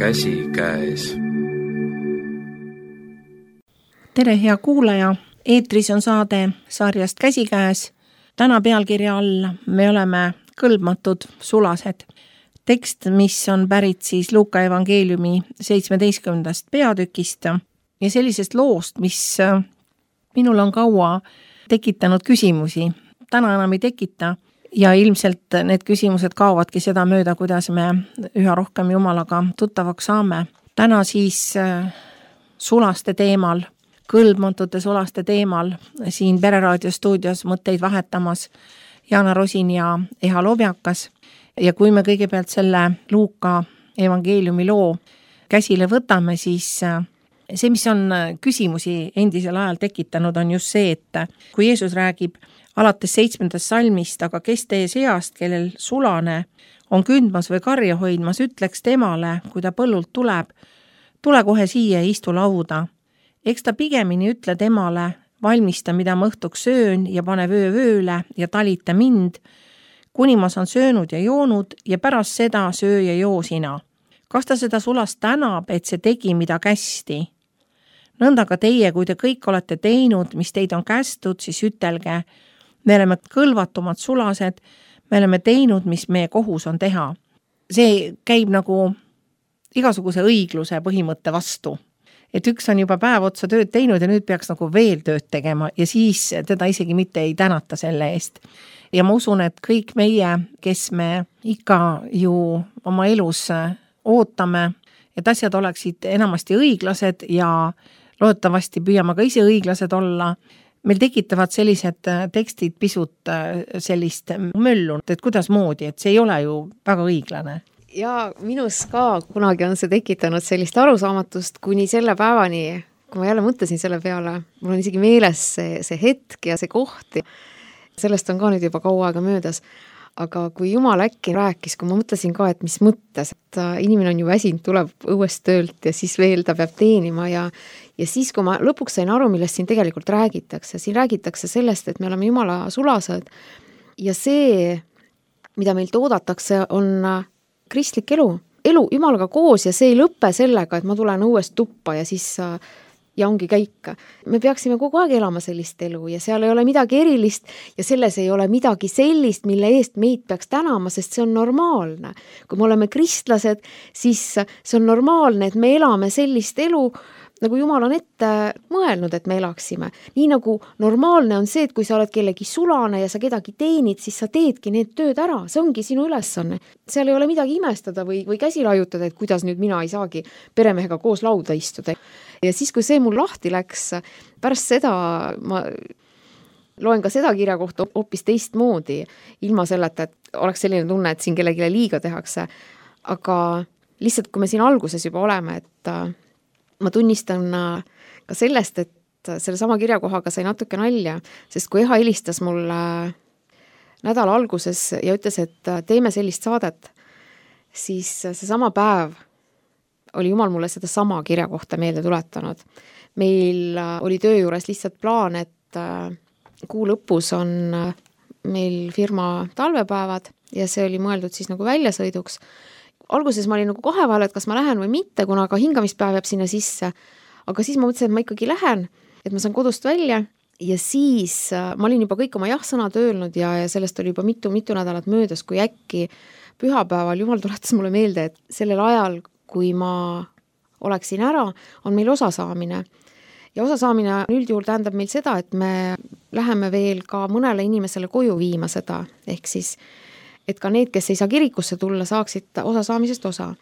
käsikäes. Tere, hea kuulaja! Eetris on saade sarjast Käsikäes. Täna pealkirja all me oleme kõlbmatud sulased. Tekst, mis on pärit siis Luuka evangeeliumi 17. peatükist ja sellisest loost, mis minul on kaua tekitanud küsimusi. Täna enam ei tekita ja ilmselt need küsimused kaovadki seda mööda, kuidas me üha rohkem Jumalaga tuttavaks saame. Täna siis sulaste teemal, kõlbmatute sulaste teemal siin Pereraadio stuudios mõtteid vahetamas Jana Rosin ja Eha Lobjakas. Ja kui me kõigepealt selle Luuka evangeeliumi loo käsile võtame, siis see, mis on küsimusi endisel ajal tekitanud, on just see, et kui Jeesus räägib alates 7. salmist, aga kes teie seast, kellel sulane on kündmas või karja hoidmas, ütleks temale, kui ta põllult tuleb, tule kohe siia ja istu lauda. Eks ta pigemini ütle temale, valmista, mida ma õhtuks söön ja pane vööle ja talita mind, kuni ma saan söönud ja joonud ja pärast seda söö ja joo sina. Kas ta seda sulast tänab, et see tegi, mida kästi? Nõnda ka teie, kui te kõik olete teinud, mis teid on kästud, siis ütelge, me oleme kõlvatumad sulased, me oleme teinud, mis meie kohus on teha. See käib nagu igasuguse õigluse põhimõtte vastu. Et üks on juba päev otsa tööd teinud ja nüüd peaks nagu veel tööd tegema ja siis teda isegi mitte ei tänata selle eest. Ja ma usun, et kõik meie, kes me ikka ju oma elus ootame, et asjad oleksid enamasti õiglased ja loodetavasti püüame ka ise õiglased olla, meil tekitavad sellised tekstid pisut sellist möllu, et kuidas moodi, et see ei ole ju väga õiglane. Ja minus ka kunagi on see tekitanud sellist arusaamatust kuni selle päevani, kui ma jälle mõtlesin selle peale, mul on isegi meeles see hetk ja see koht. Sellest on ka nüüd juba kaua aega möödas. Aga kui Jumal äkki rääkis, kui ma mõtlesin ka, et mis mõttes, et inimene on ju väsinud, tuleb õuest töölt ja siis veel ta peab teenima ja siis, kui ma lõpuks sain aru, millest siin tegelikult räägitakse, siin räägitakse sellest, et me oleme Jumala sulased ja see, mida meilt oodatakse, on kristlik elu Jumalaga koos ja see ei lõppe sellega, et ma tulen õuest tuppa ja siis ja ongi käik. Me peaksime kogu aeg elama sellist elu ja seal ei ole midagi erilist ja selles ei ole midagi sellist, mille eest meid peaks tänama, sest see on normaalne. Kui me oleme kristlased, siis see on normaalne, et me elame sellist elu, nagu Jumal on ette mõelnud, et me elaksime. Nii nagu normaalne on see, et kui sa oled kellegi sulane ja sa kedagi teenid, siis sa teedki need tööd ära. See ongi sinu ülesanne. Seal ei ole midagi imestada või käsi laiutada, et kuidas nüüd mina ei saagi peremehega koos lauda istuda. Ja siis, kui see mul lahti läks, pärast seda ma loen ka seda kirja kohta hoopis teistmoodi, ilma selleta, et oleks selline tunne, et siin kellelegi liiga tehakse. Aga lihtsalt, kui me siin alguses juba oleme, et ma tunnistan ka sellest, et selle sama kirjakohaga sai natuke nalja, sest kui Eha helistas mulle nädala alguses ja ütles, et teeme sellist saadet, siis see sama päev oli Jumal mulle seda sama kirjakohta meelde tuletanud. Meil oli töö juures lihtsalt plaan, et kuu lõpus on meil firma talvepäevad ja see oli mõeldud siis nagu väljasõiduks. Alguses ma olin nagu kahe vahel, et kas ma lähen või mitte, kuna ka hingamispäev jääb sinna sisse. Aga siis ma mõtlesin, et ma ikkagi lähen, et ma saan kodust välja ja siis ma olin juba kõik oma jah-sõnad öelnud ja sellest oli juba mitu nädalat möödas, kui äkki pühapäeval Jumal tuletas mulle meelde, et sellel ajal, kui ma oleksin ära, on meil osasaamine. Ja osasaamine üldjuhul tähendab meil seda, et me läheme veel ka mõnele inimesele koju viima seda, ehk siis et ka need, kes ei saa kirikusse tulla, saaksid osasaamisest osa.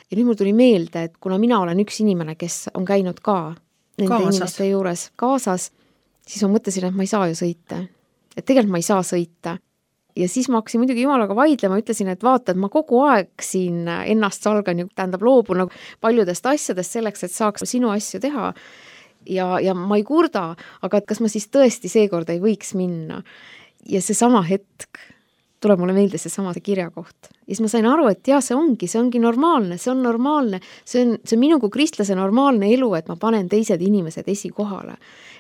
Ja nüüd mul tuli meelde, et kuna mina olen üks inimene, kes on käinud ka nende inimeste juures kaasas, siis ma mõtlesin, et ma ei saa ju sõita. Et tegelikult ma ei saa sõita. Ja siis ma hakkasin muidugi Jumalaga vaidlema, ütlesin, et vaata, et ma kogu aeg siin ennast salgan, tähendab loobun nagu paljudest asjadest selleks, et saaks sinu asju teha. Ja ma ei kurda, aga et kas ma siis tõesti seekord ei võiks minna. Ja see sama hetk tuleb mulle meelde see sama kirjakoht. Ja siis ma sain aru, et see ongi normaalne, see on normaalne, see on minu kui kristlase normaalne elu, et ma panen teised inimesed esikohale.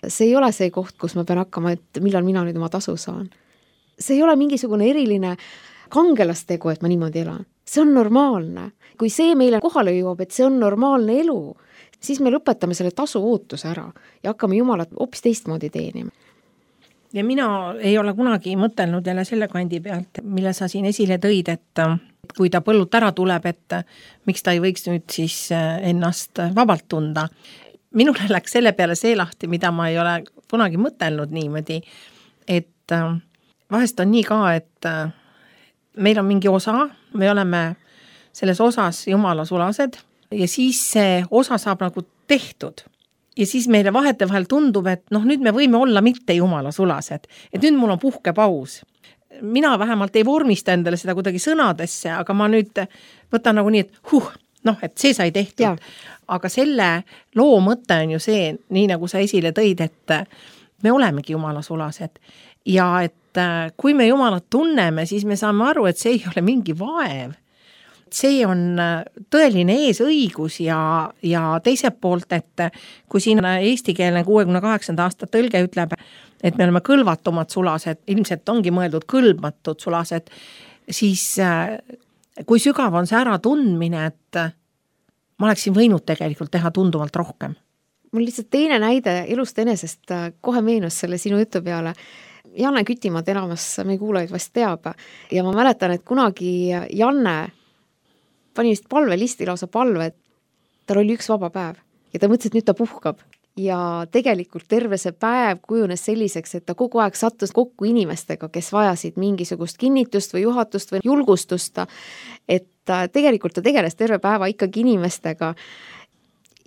See ei ole see koht, kus ma pean hakkama, et millal mina nüüd oma tasu saan. See ei ole mingisugune eriline kangelastegu, et ma niimoodi elan. see on normaalne. Kui see meile kohale jõuab, et see on normaalne elu, siis me lõpetame selle tasu ootuse ära ja hakkame Jumalat hoopis teistmoodi teenima. Ja mina ei ole kunagi mõtelnud jälle selle kandi pealt, mille sa siin esile tõid, et kui ta põllult ära tuleb, et miks ta ei võiks nüüd siis ennast vabalt tunda. Minule läks selle peale see lahti, mida ma ei ole kunagi mõtelnud niimoodi, et vahest on nii ka, et meil on mingi osa, me oleme selles osas Jumala sulased ja siis see osa saab nagu tehtud. Ja siis meile vahetevahel tundub, et nüüd me võime olla mitte Jumala sulased, et nüüd mul on puhkepaus. Mina vähemalt ei vormista endale seda kuidagi sõnadesse, aga ma nüüd võtan nagu nii, et et see sai tehtud. Ja. Aga selle loo mõte on ju see, nii nagu sa esile tõid, et me olemegi Jumala sulased ja et kui me Jumalat tunneme, siis me saame aru, et see ei ole mingi vaev. See on tõeline eesõigus ja teiselt poolt, et kui siin eestikeelne 68. aasta tõlge ütleb, et me oleme kõlvatumad sulased, ilmselt ongi mõeldud kõlbmatud sulased, siis kui sügav on see äratundmine, et ma oleksin võinud tegelikult teha tunduvalt rohkem. Mul lihtsalt teine näide elust enesest kohe meenus selle sinu jutu peale. Janne Kütimaad enamas meie kuulajaid vast teab ja ma mäletan, et kunagi Janne pani vist palvelisti lausa palve, et tal oli üks vaba päev ja ta mõtles, et nüüd ta puhkab. Ja tegelikult terve see päev kujunes selliseks, et ta kogu aeg sattus kokku inimestega, kes vajasid mingisugust kinnitust või juhatust või julgustust. Et tegelikult ta tegeles terve päeva ikkagi inimestega.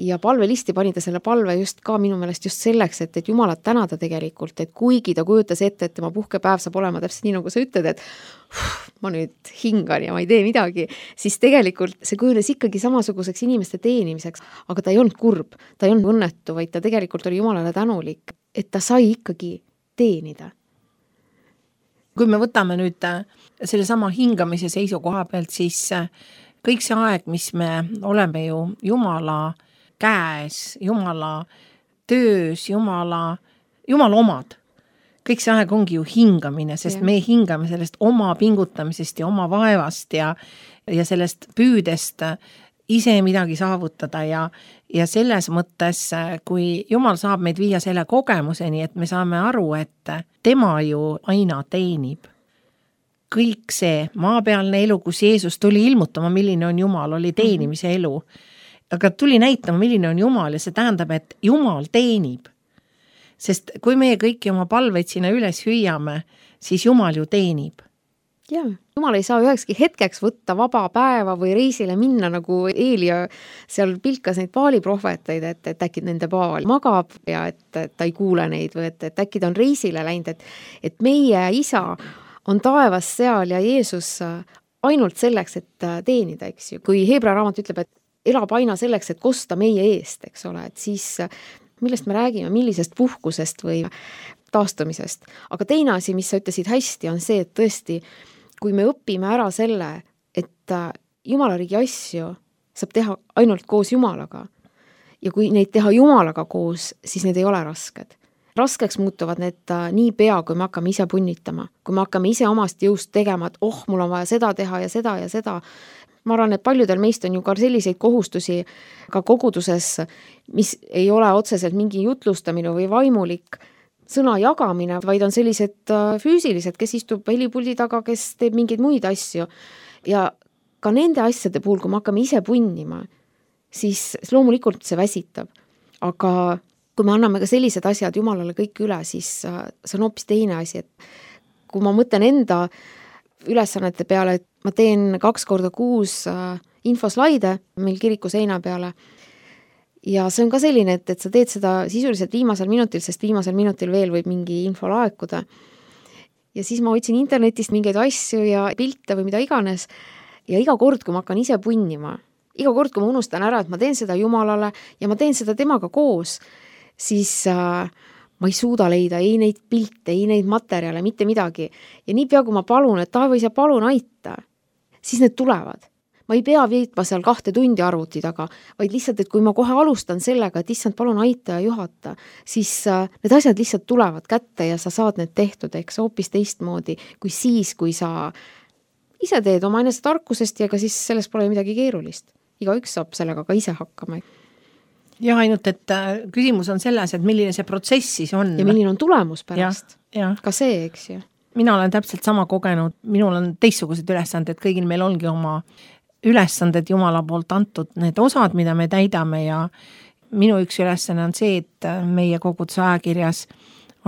Ja palvelisti pani ta selle palve just ka minu meelest just selleks, et Jumalat tänada tegelikult, et kuigi ta kujutas ette, et tema puhkepäev saab olema täpselt nii, nagu sa ütled, et ma nüüd hingan ja ma ei tee midagi, siis tegelikult see kujunes ikkagi samasuguseks inimeste teenimiseks, aga ta ei olnud kurb, ta ei olnud õnnetu, vaid ta tegelikult oli Jumalale tänulik, et ta sai ikkagi teenida. Kui me võtame nüüd selle sama hingamise seisukoha pealt, siis kõik see aeg, mis me oleme ju Jumala käes, Jumala töös, Jumala omad. Kõik see aeg ongi ju hingamine, sest me hingame sellest oma pingutamisest ja oma vaevast ja sellest püüdest ise midagi saavutada ja selles mõttes, kui Jumal saab meid viia selle kogemuseni, et me saame aru, et tema ju aina teenib. Kõik see maapealne elu, kus Jeesus tuli ilmutama, milline on Jumal, oli teenimise elu. Aga tuli näitama, milline on Jumal ja see tähendab, et Jumal teenib. Sest kui meie kõiki oma palveid sinna üles hüüame, siis Jumal ju teenib. Jaa, Jumal ei saa ühekski hetkeks võtta vaba päeva või reisile minna, nagu Eelia seal pilkas neid paaliprohveteid, et äkki nende paal magab ja et ta ei kuule neid või et äkki ta on reisile läinud, et meie isa on taevas seal ja Jeesus ainult selleks, et teenida, eks ju. Kui Hebra raamat ütleb, et elab aina selleks, et kosta meie eest, eks ole, et siis millest me räägime, millisest puhkusest või taastumisest. Aga teine asi, mis sa ütlesid hästi, on see, et tõesti, kui me õpime ära selle, et Jumala riigi asju saab teha ainult koos Jumalaga ja kui neid teha Jumalaga koos, siis need ei ole rasked. Raskeks muutuvad need nii pea, kui me hakkame ise punnitama, kui me hakkame ise omast jõust tegema, et mul on vaja seda teha ja seda ja seda. Ma arvan, et paljudel meist on ju ka selliseid kohustusi ka koguduses, mis ei ole otseselt mingi jutlustamine või vaimulik sõna jagamine, vaid on sellised füüsilised, kes istub helipuldi taga, kes teeb mingeid muid asju. Ja ka nende asjade puhul, kui me hakkame ise punnima, siis loomulikult see väsitab. Aga kui me anname ka sellised asjad Jumalale kõik üle, siis see on hoopis teine asi. Et kui ma mõtlen enda ülesannete peale, et ma teen 2 korda kuus infoslaide meil kiriku seina peale ja see on ka selline, et sa teed seda sisuliselt viimasel minutil, sest viimasel minutil veel võib mingi info laekuda. Ja siis ma otsin internetist mingeid asju ja pilte või mida iganes ja iga kord, kui ma hakkan ise punnima, iga kord, kui ma unustan ära, et ma teen seda Jumalale ja ma teen seda temaga koos, siis ma ei suuda leida ei neid pilte, ei neid materjale, mitte midagi. Ja nii pea, kui ma palun, et taevas ja palun aita, siis need tulevad. Ma ei pea veetma seal 2 tundi arvuti taga, vaid lihtsalt, et kui ma kohe alustan sellega, et issand, palun aita ja juhata, siis need asjad lihtsalt tulevad kätte ja sa saad need tehtud, eks hoopis teistmoodi kui siis, kui sa ise teed oma ainese tarkusest ja ka siis selles pole midagi keerulist. Igaüks saab sellega ka ise hakkama. Ja ainult, et küsimus on selles, et milline see protsess siis on. Ja milline on tulemus pärast. Ja. Ka see, eks ju. Mina olen täpselt sama kogenud, minul on teistsugused ülesanded, kõigil meil ongi oma ülesanded Jumala poolt antud, need osad, mida me täidame ja minu üks ülesanne on see, et meie koguduse ajakirjas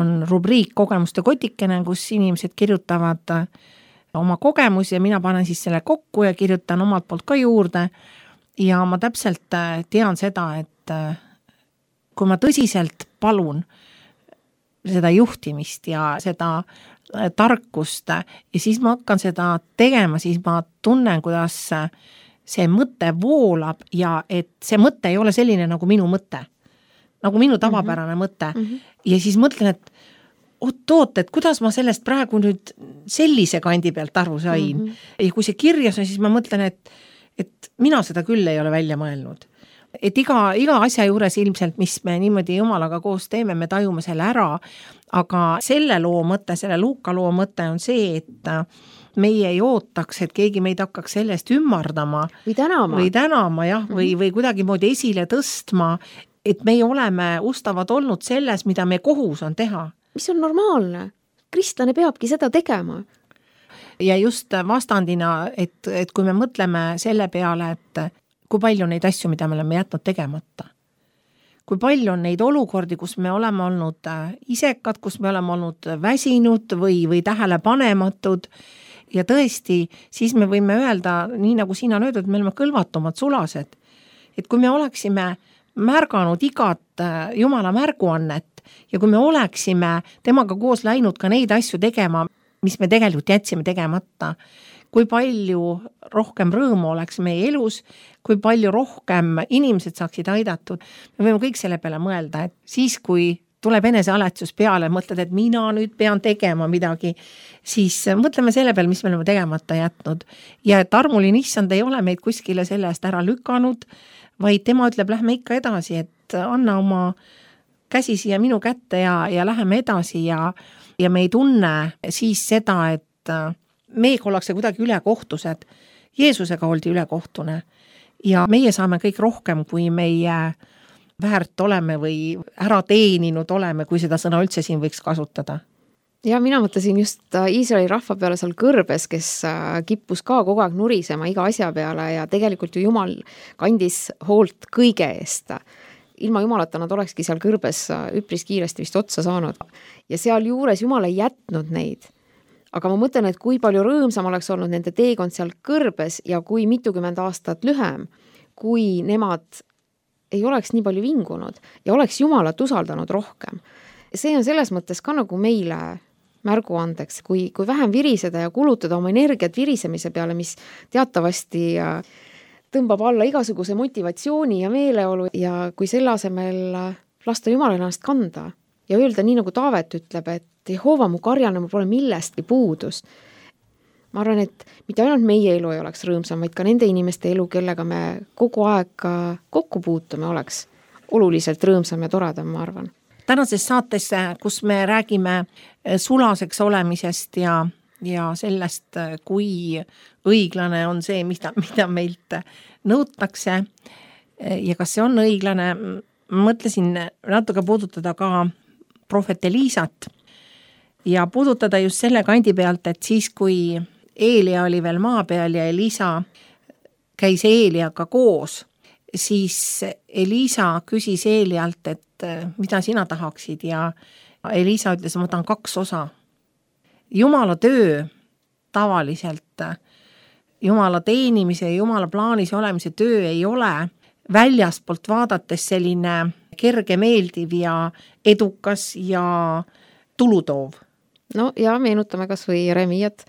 on rubriik kogemuste kotikene, kus inimesed kirjutavad oma kogemusi ja mina panen siis selle kokku ja kirjutan omalt poolt ka juurde ja ma täpselt tean seda, et kui ma tõsiselt palun seda juhtimist ja seda tarkust ja siis ma hakkan seda tegema, siis ma tunnen, kuidas see mõte voolab ja et see mõte ei ole selline nagu minu mõte, nagu minu tavapärane mõte. Ja siis mõtlen, et oot, et kuidas ma sellest praegu nüüd sellise kandi pealt aru sain. Ja kui see kirjas on, siis ma mõtlen, et mina seda küll ei ole välja mõelnud. Et iga asja juures ilmselt, mis me niimoodi Jumalaga koos teeme, me tajume selle ära, aga selle loo mõte, selle Luuka loo mõte on see, et meie ei ootaks, et keegi meid hakkaks sellest ümmardama. Või tänama, jah, või kuidagi moodi esile tõstma, et meie oleme ustavad olnud selles, mida me kohus on teha. Mis on normaalne? Kristlane peabki seda tegema. Ja just vastandina, et kui me mõtleme selle peale, et kui palju neid asju, mida me oleme jätnud tegemata. Kui palju on neid olukordi, kus me oleme olnud isekad, kus me oleme olnud väsinud või tähele panematud ja tõesti, siis me võime öelda, nii nagu siin on öeldud, me oleme kõlvatumad sulased. Et kui me oleksime märganud igat Jumala märguannet ja kui me oleksime temaga koos läinud ka neid asju tegema, mis me tegelikult jätsime tegemata, kui palju rohkem rõõmu oleks meie elus, kui palju rohkem inimesed saaksid aidatud. Me võime kõik selle peale mõelda, et siis kui tuleb enesealetsus peale, mõtled, et mina nüüd pean tegema midagi, siis mõtleme selle peale, mis me oleme tegemata jätnud. Ja et armuline issand ei ole meid kuskile selle eest ära lükanud, vaid tema ütleb, lähme ikka edasi, et anna oma käsi siia minu kätte ja läheme edasi ja me ei tunne siis seda, et meiega ollakse kuidagi ülekohtused. Jeesusega oldi ülekohtune ja meie saame kõik rohkem, kui meie väärt oleme või ära teeninud oleme, kui seda sõna üldse siin võiks kasutada. Ja mina mõtlesin just Iisraeli rahva peale seal kõrbes, kes kippus ka kogu aeg nurisema iga asja peale ja tegelikult ju Jumal kandis hoolt kõige eest. Ilma Jumalata nad olekski seal kõrbes üpris kiiresti vist otsa saanud. Ja seal juures Jumal ei jätnud neid. Aga ma mõtlen, et kui palju rõõmsam oleks olnud nende teekond seal kõrbes ja kui mitukümmend aastat lühem, kui nemad ei oleks nii palju vingunud ja oleks Jumalat usaldanud rohkem. See on selles mõttes ka nagu meile märgu andeks, kui vähem viriseda ja kulutada oma energiat virisemise peale, mis teatavasti tõmbab alla igasuguse motivatsiooni ja meeleolu ja kui selle asemel lasta Jumal ennast kanda ja öelda nii, nagu Taavet ütleb, et Jehova mu karjane, mul pole millestki puudus. Ma arvan, et mitte ainult meie elu ei oleks rõõmsam, vaid ka nende inimeste elu, kellega me kogu aeg kokku puutume, oleks oluliselt rõõmsam ja toredam, ma arvan. Tänases saates, kus me räägime sulaseks olemisest ja sellest, kui õiglane on see, mida meilt nõutakse ja kas see on õiglane, mõtlesin natuke puudutada ka prohvet Eliisat ja puudutada just selle kandi pealt, et siis kui Eelia oli veel maa peal ja Eliisa käis Eeliaga koos, siis Eliisa küsis Eelialt, et mida sina tahaksid ja Eliisa ütles, ma tahan 2 osa. Jumala töö tavaliselt, Jumala teenimise ja Jumala plaanis olemise töö ei ole väljaspoolt vaadates selline kerge, meeldiv ja edukas ja tulutoov. No ja meenutame kas või Jeremiat.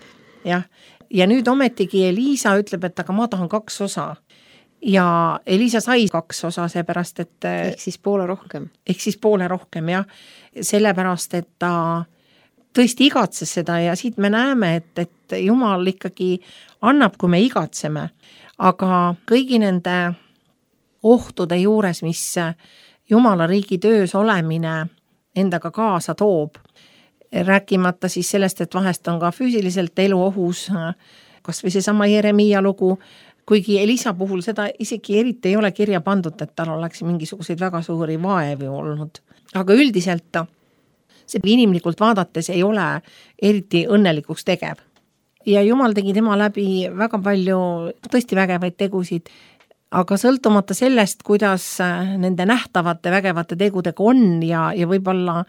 Jah, ja nüüd ometigi Eliisa ütleb, et aga ma tahan 2 osa. Ja Eliisa sai 2 osa, seepärast, et ehk siis poole rohkem. Jah. Sellepärast, et ta tõesti igatses seda ja siit me näeme, et Jumal ikkagi annab, kui me igatseme. Aga kõigi nende ohtude juures, mis Jumala riigi töös olemine endaga kaasa toob, rääkimata siis sellest, et vahest on ka füüsiliselt elu ohus, kas või seesama Jeremiia lugu, kuigi Elisa puhul seda isegi eriti ei ole kirja pandud, et tal oleks mingisuguseid väga suuri vaevi olnud. Aga üldiselt see inimlikult vaadates ei ole eriti õnnelikuks tegev. Ja Jumal tegi tema läbi väga palju tõesti vägevaid tegusid, aga sõltumata sellest, kuidas nende nähtavate vägevate tegudega on ja võib-olla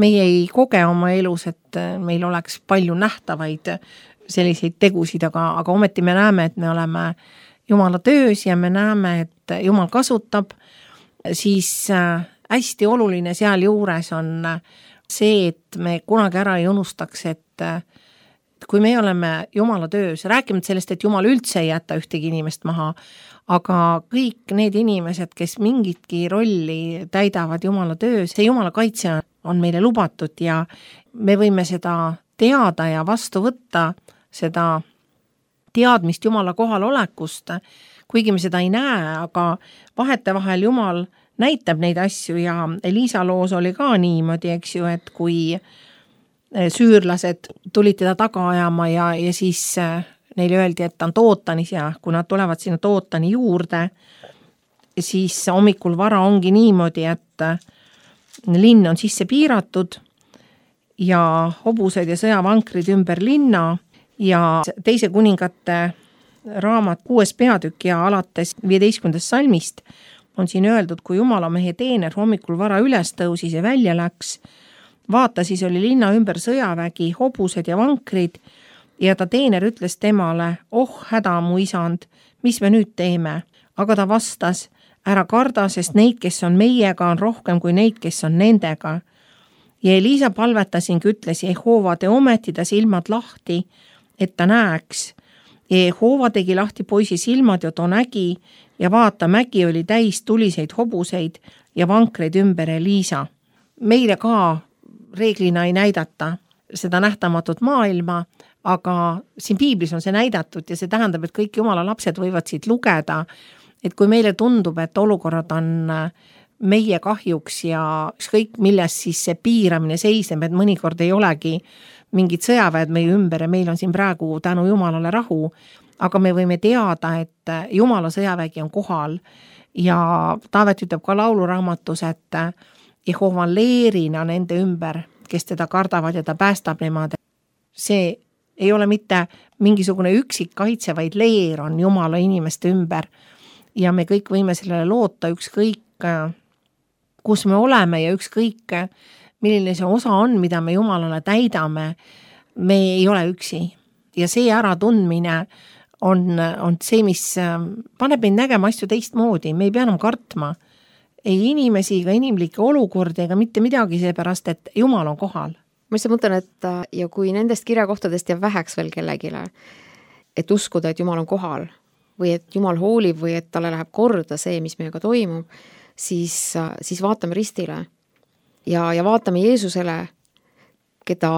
meie ei koge oma elus, et meil oleks palju nähtavaid selliseid tegusid, aga ometi me näeme, et me oleme Jumala töös ja me näeme, et Jumal kasutab, siis hästi oluline seal juures on see, et me kunagi ära ei unustaks, et kui me oleme Jumala töös, räägime sellest, et Jumal üldse ei jäta ühtegi inimest maha, aga kõik need inimesed, kes mingitki rolli täidavad Jumala töös, see Jumala kaitse on meile lubatud ja me võime seda teada ja vastu võtta, seda teadmist Jumala kohalolekust, kuigi me seda ei näe, aga vahetevahel Jumal näitab neid asju ja Elisa loos oli ka niimoodi, eks ju, et kui süürlased tulid teda taga ajama ja siis neile öeldi, et ta on Tootanis ja kui nad tulevad sinna Tootani juurde, siis hommikul vara ongi niimoodi, et linn on sisse piiratud ja hobused ja sõjavankrid ümber linna ja teise kuningate raamat 6. peatükk ja alates 15. salmist on siin öeldud, kui Jumalamehe teener hommikul vara üles tõusis ja välja läks, vaata, siis oli linna ümber sõjavägi, hobused ja vankrid ja ta teener ütles temale, häda mu isand, mis me nüüd teeme? Aga ta vastas, ära karda, sest neid, kes on meiega, on rohkem kui neid, kes on nendega. Ja Elisa palvetas ning ütles, Jehova, tee ometi ta silmad lahti, et ta näeks. Ja Jehova tegi lahti poisi silmad ja too nägi ja vaata, mägi oli täis tuliseid hobuseid ja vankreid ümber Elisa. Meile ka reeglina ei näidata seda nähtamatut maailma, aga siin piiblis on see näidatud ja see tähendab, et kõik Jumala lapsed võivad siit lugeda, et kui meile tundub, et olukorrad on meie kahjuks ja ükskõik milles siis see piiramine seisneb, et mõnikord ei olegi mingid sõjaväed meie ümber ja meil on siin praegu tänu Jumalale rahu, aga me võime teada, et Jumala sõjavägi on kohal ja Taavet ütleb ka lauluraamatus, et Jehova on leerina nende ümber, kes teda kardavad ja ta päästab nemad. See ei ole mitte mingisugune üksik kaitse, vaid leer on Jumala inimeste ümber ja me kõik võime sellele loota ükskõik, kus me oleme ja ükskõik, milline see osa on, mida me Jumalale täidame, me ei ole üksi. Ja see äratundmine on see, mis paneb meid nägema asju teistmoodi, me ei pea enam kartma ei inimesi, ega inimlikke olukordi, ega mitte midagi seepärast, et Jumal on kohal. Ma just mõtlen, et ja kui nendest kirjakohtadest jääb väheks veel kellegile, et uskuda, et Jumal on kohal või et Jumal hoolib või et talle läheb korda see, mis meiega toimub, siis vaatame ristile ja vaatame Jeesusele, keda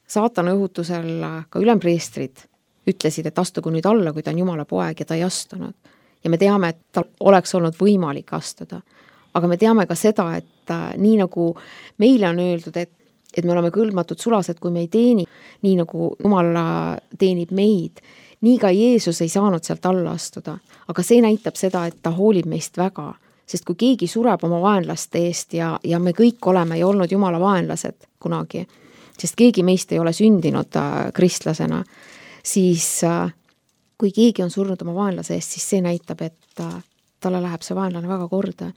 saatana õhutusel ka ülempreestrid ütlesid, et astugu nüüd alla, kui ta on Jumala poeg ja ta ei astunud. Ja me teame, et tal oleks olnud võimalik astuda. Aga me teame ka seda, et nii nagu meile on öeldud, et me oleme kõlbmatud sulased, kui me ei teeni, nii nagu Jumal teenib meid, nii ka Jeesus ei saanud sealt alla astuda. Aga see näitab seda, et ta hoolib meist väga. Sest kui keegi sureb oma vaenlaste eest ja me kõik oleme ju olnud Jumala vaenlased kunagi, sest keegi meist ei ole sündinud kristlasena, siis kui keegi on surnud oma vaenlase eest, siis see näitab, et talle läheb see vaenlane väga korda.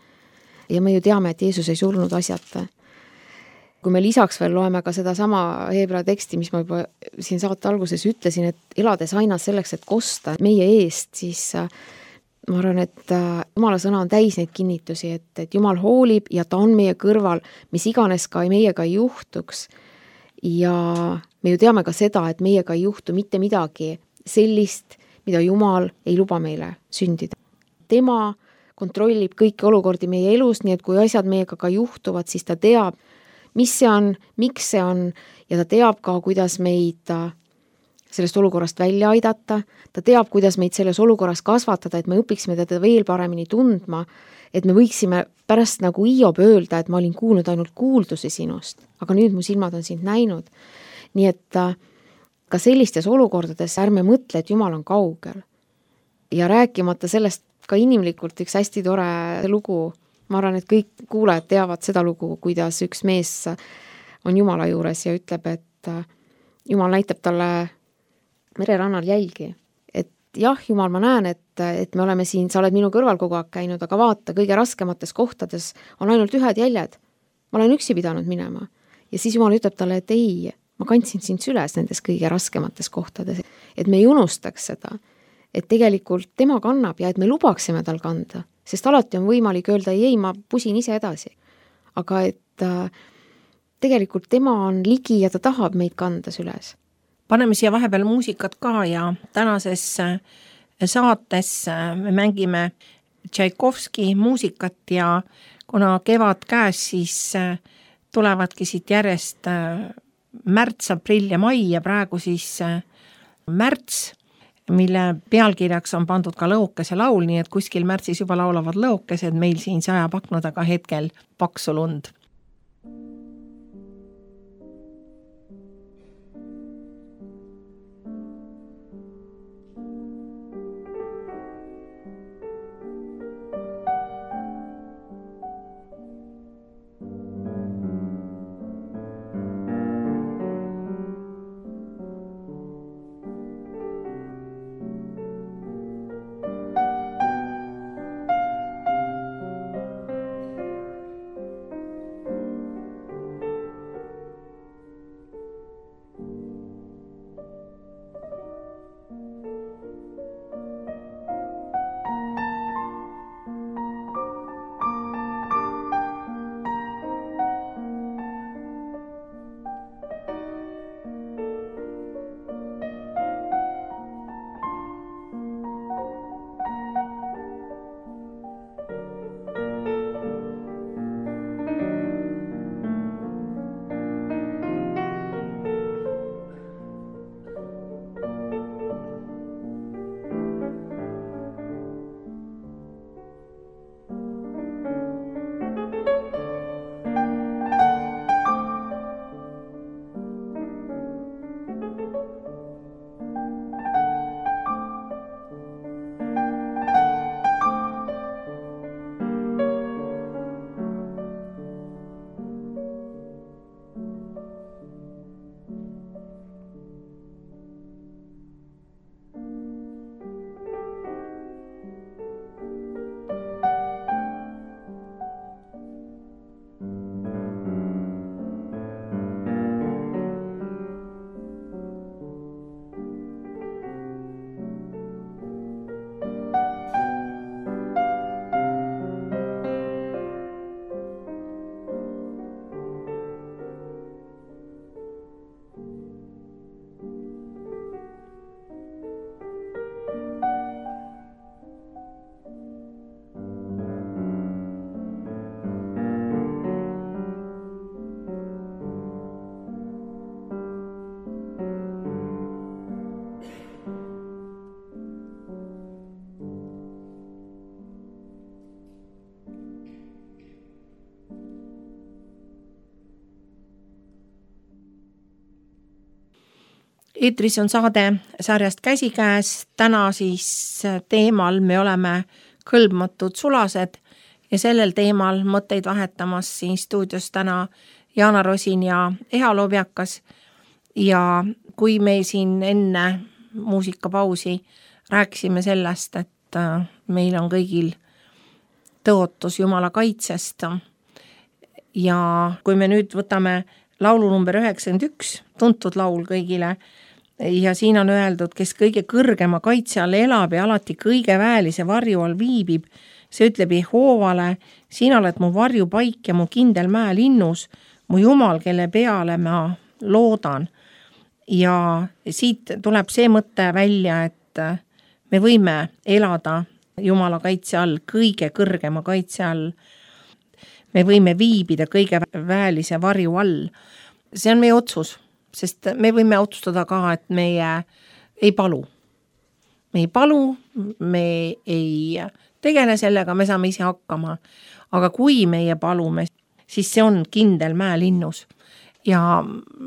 Ja me ju teame, et Jeesus ei surnud asjata. Kui me lisaks veel loeme ka seda sama Heebrea teksti, mis ma juba siin saate alguses ütlesin, et elades aina selleks, et kosta meie eest, siis ma arvan, et Jumala sõna on täis neid kinnitusi, et Jumal hoolib ja ta on meie kõrval, mis iganes ka meiega ei juhtuks. Ja me ju teame ka seda, et meiega ei juhtu mitte midagi sellist, mida Jumal ei luba meile sündida. Tema kontrollib kõiki olukordi meie elus, nii et kui asjad meiega ka juhtuvad, siis ta teab, mis see on, miks see on ja ta teab ka, kuidas meid sellest olukorrast välja aidata. Ta teab, kuidas meid selles olukorras kasvatada, et me õpiksime teda veel paremini tundma, et me võiksime pärast nagu Hiob öelda, et ma olin kuulnud ainult kuuldusi sinust, aga nüüd mu silmad on sind näinud. Nii et ka sellistes olukordades ärme mõtle, et Jumal on kaugel. Ja rääkimata sellest ka inimlikult üks hästi tore lugu, ma arvan, et kõik kuulajad teavad seda lugu, kuidas üks mees on Jumala juures ja ütleb, et Jumal näitab talle mererannal jälgi. Et jah, Jumal, ma näen, et me oleme siin, sa oled minu kõrval kogu aeg käinud, aga vaata, kõige raskemates kohtades on ainult ühed jäljed. Ma olen üksi pidanud minema. Ja siis Jumal ütleb talle, et ei, ma kandsin sind süles nendes kõige raskemates kohtades. Et me ei unustaks seda, et tegelikult tema kannab ja et me lubaksime tal kanda, sest alati on võimalik öelda, ei, ma pusin ise edasi. Aga et tegelikult tema on ligi ja ta tahab meid kanda süles. Paneme siia vahepeal muusikat ka ja tänases saates me mängime Tšaikovski muusikat ja kuna kevad käes, siis tulevadki siit järjest märts, aprill ja mai ja praegu siis märts, mille pealkirjaks on pandud ka Lõokese laul, nii et kuskil märtsis juba laulavad lõokesed, meil siin sajab akna taga hetkel paksu lund. Eetris on saade sarjast Käsikäes, täna siis teemal me oleme kõlbmatud sulased ja sellel teemal mõtteid vahetamas siin stuudios täna Jaana Rosin ja Eha Lobjakas. Ja kui me siin enne muusikapausi rääkisime sellest, et meil on kõigil tõotus Jumala kaitsest ja kui me nüüd võtame laulu number 91, tuntud laul kõigile, ja siin on öeldud, kes kõige kõrgema kaitse all elab ja alati kõige väelise varju all viibib, see ütleb Jehoovale, sina oled mu varjupaik ja mu kindel mäelinnus, mu Jumal, kelle peale ma loodan. Ja siit tuleb see mõte välja, et me võime elada Jumala kaitse all, kõige kõrgema kaitse all. Me võime viibida kõige väelise varju all. See on meie otsus, sest me võime otsustada ka, et meie ei palu. Me ei palu, me ei tegele sellega, me saame ise hakkama. Aga kui meie palume, siis see on kindel mäelinnus. ja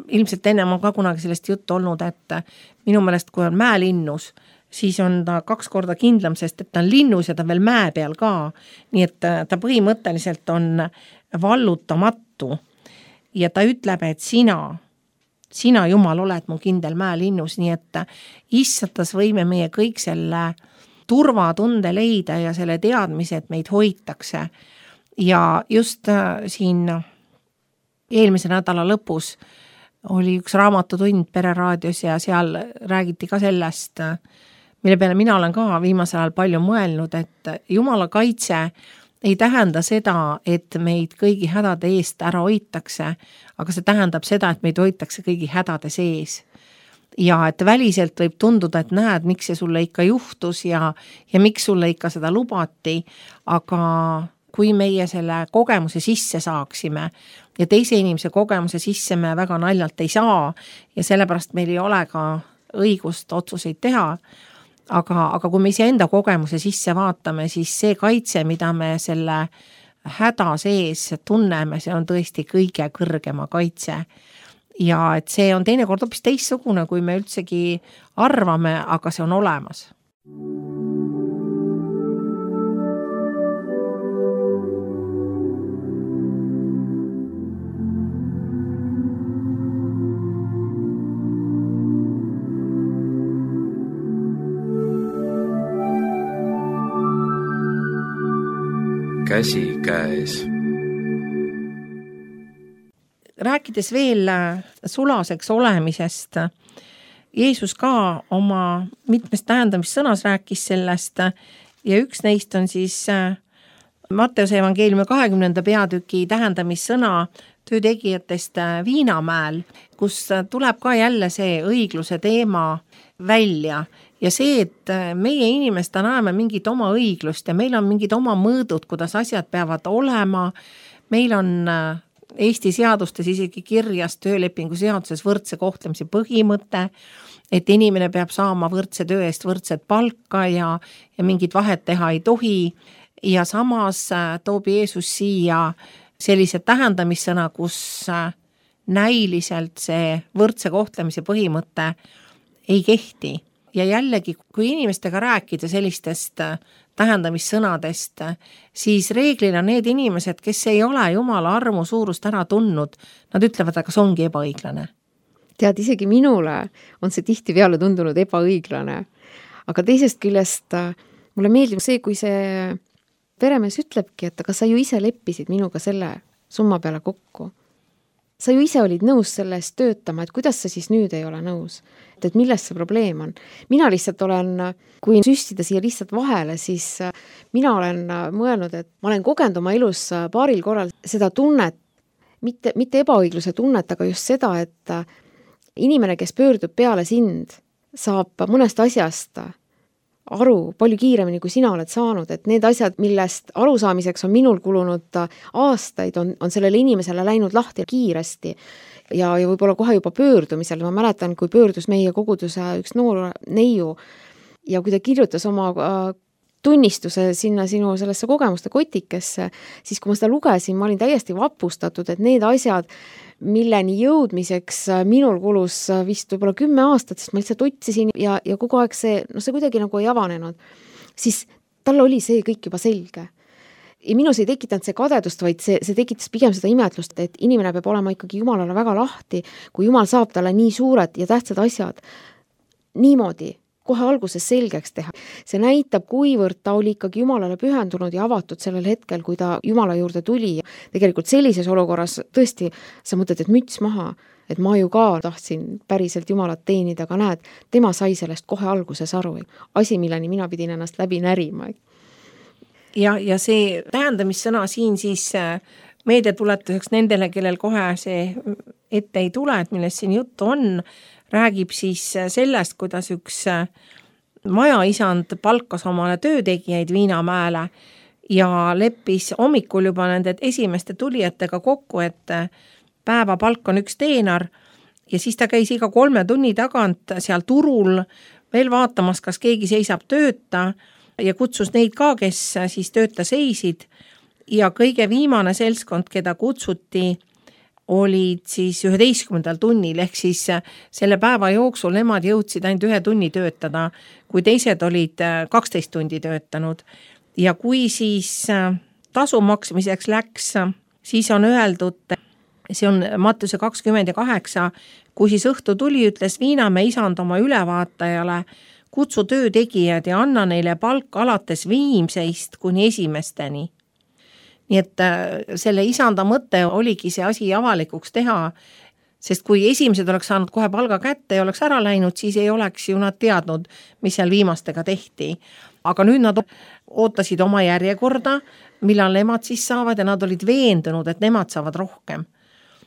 ilmselt enne on ka kunagi sellest juttu olnud, et minu meelest, kui on mäelinnus, siis on ta 2 korda kindlam, sest et ta on linnus ja ta on veel mäe peal ka. Nii et ta põhimõtteliselt on vallutamatu ja ta ütleb, et sina Jumal oled mu kindel mäelinnus, nii et issatas võime meie kõik selle turvatunde leida ja selle teadmise, et meid hoitakse. Ja just siin eelmise nädala lõpus oli üks raamatutund Pereraadios ja seal räägiti ka sellest, mille peale mina olen ka viimasel ajal palju mõelnud, et Jumala kaitse ei tähenda seda, et meid kõigi hädade eest ära hoitakse, aga see tähendab seda, et meid hoitakse kõigi hädade sees. Ja et väliselt võib tunduda, et näed, miks see sulle ikka juhtus ja miks sulle ikka seda lubati, aga kui meie selle kogemuse sisse saaksime ja teise inimese kogemuse sisse me väga naljalt ei saa ja sellepärast meil ei ole ka õigust otsuseid teha, aga kui me iseenda kogemuse sisse vaatame, siis see kaitse, mida me selle häda sees tunneme, see on tõesti kõige kõrgema kaitse. Ja et see on teinekord hoopis teistsugune, kui me üldsegi arvame, aga see on olemas. Käsikäes. Rääkides veel sulaseks olemisest, Jeesus ka oma mitmest tähendamissõnas rääkis sellest ja üks neist on siis Matteuse evangeeliumi 20. peatüki tähendamissõna töötegijatest Viinamäel, kus tuleb ka jälle see õigluse teema välja ja see, et meie inimeste näeme mingit oma õiglust ja meil on mingid oma mõõdud, kuidas asjad peavad olema, meil on Eesti seadustes isegi kirjas töölepingu seaduses võrdse kohtlemise põhimõte, et inimene peab saama võrdse töö eest võrdset palka ja mingit vahet teha ei tohi ja samas toob Jeesus siia sellise tähendamissõna, kus näiliselt see võrdse kohtlemise põhimõte ei kehti. Ja jällegi, kui inimestega rääkida sellistest tähendamissõnadest, siis reeglina need inimesed, kes ei ole Jumala armu suurust ära tundnud, nad ütlevad, aga see ongi ebaõiglane. Tead, isegi minule on see tihtipeale tundunud ebaõiglane. Aga teisest küljest mulle meeldib see, kui see peremees ütlebki, et aga sa ju ise leppisid minuga selle summa peale kokku. Sa ju ise olid nõus selle eest töötama, et kuidas sa siis nüüd ei ole nõus? Et milles see probleem on? Mina lihtsalt olen, kui süstida siia lihtsalt vahele, siis mina olen mõelnud, et ma olen kogenud oma elus paaril korral seda tunnet, mitte ebaõigluse tunnet, aga just seda, et inimene, kes pöördub peale sind, saab mõnest asjast aru palju kiiremini, kui sina oled saanud, et need asjad, millest arusaamiseks on minul kulunud aastaid, on sellele inimesele läinud lahti kiiresti ja võib-olla kohe juba pöördumisel. Ma mäletan, kui pöördus meie koguduse üks noor neiu ja kui ta kirjutas oma tunnistuse sinna sinu sellesse kogemuste kotikesse, siis kui ma seda lugesin, ma olin täiesti vapustatud, et need asjad, milleni jõudmiseks minul kulus vist võib-olla 10 aastat, sest ma lihtsalt otsisin ja kogu aeg see kuidagi nagu ei avanenud, siis tal oli see kõik juba selge. Ja minus ei tekitanud see kadedust, vaid see tekitas pigem seda imetlust, et inimene peab olema ikkagi Jumalale väga lahti, kui Jumal saab talle nii suured ja tähtsad asjad niimoodi kohe alguses selgeks teha. See näitab, kuivõrd ta oli ikkagi Jumalale pühendunud ja avatud sellel hetkel, kui ta Jumala juurde tuli. Tegelikult sellises olukorras tõesti sa mõtled, et müts maha, et ma ju ka tahtsin päriselt Jumalat teenida, aga näed, tema sai sellest kohe alguses aru. Asi, milleni mina pidin ennast läbi närima. Ja see tähendamissõna siin siis meediatuletuseks nendele, kellel kohe see ette ei tule, et millest siin juttu on, räägib siis sellest, kuidas üks majaisand palkas omale töötegijaid Viinamäele ja leppis hommikul juba nende esimeste tulijatega kokku, et päevapalk on 1 teenar ja siis ta käis iga 3 tunni tagant seal turul veel vaatamas, kas keegi seisab tööta ja kutsus neid ka, kes siis tööta seisid ja kõige viimane seltskond, keda kutsuti, olid siis 11. tunnil, ehk siis selle päeva jooksul nemad jõudsid ainult 1 tunni töötada, kui teised olid 12 tundi töötanud. Ja kui siis tasu maksmiseks läks, siis on öeldud, see on Mattuse 28, kui siis õhtu tuli, ütles Viinamäe isand oma ülevaatajale, kutsu töötegijad ja anna neile palk alates viimseist kuni esimesteni. Nii et selle isanda mõte oligi see asi avalikuks teha, sest kui esimesed oleks saanud kohe palga kätte ja oleks ära läinud, siis ei oleks ju nad teadnud, mis seal viimastega tehti. Aga nüüd nad ootasid oma järjekorda, millal nemad siis saavad ja nad olid veendunud, et nemad saavad rohkem.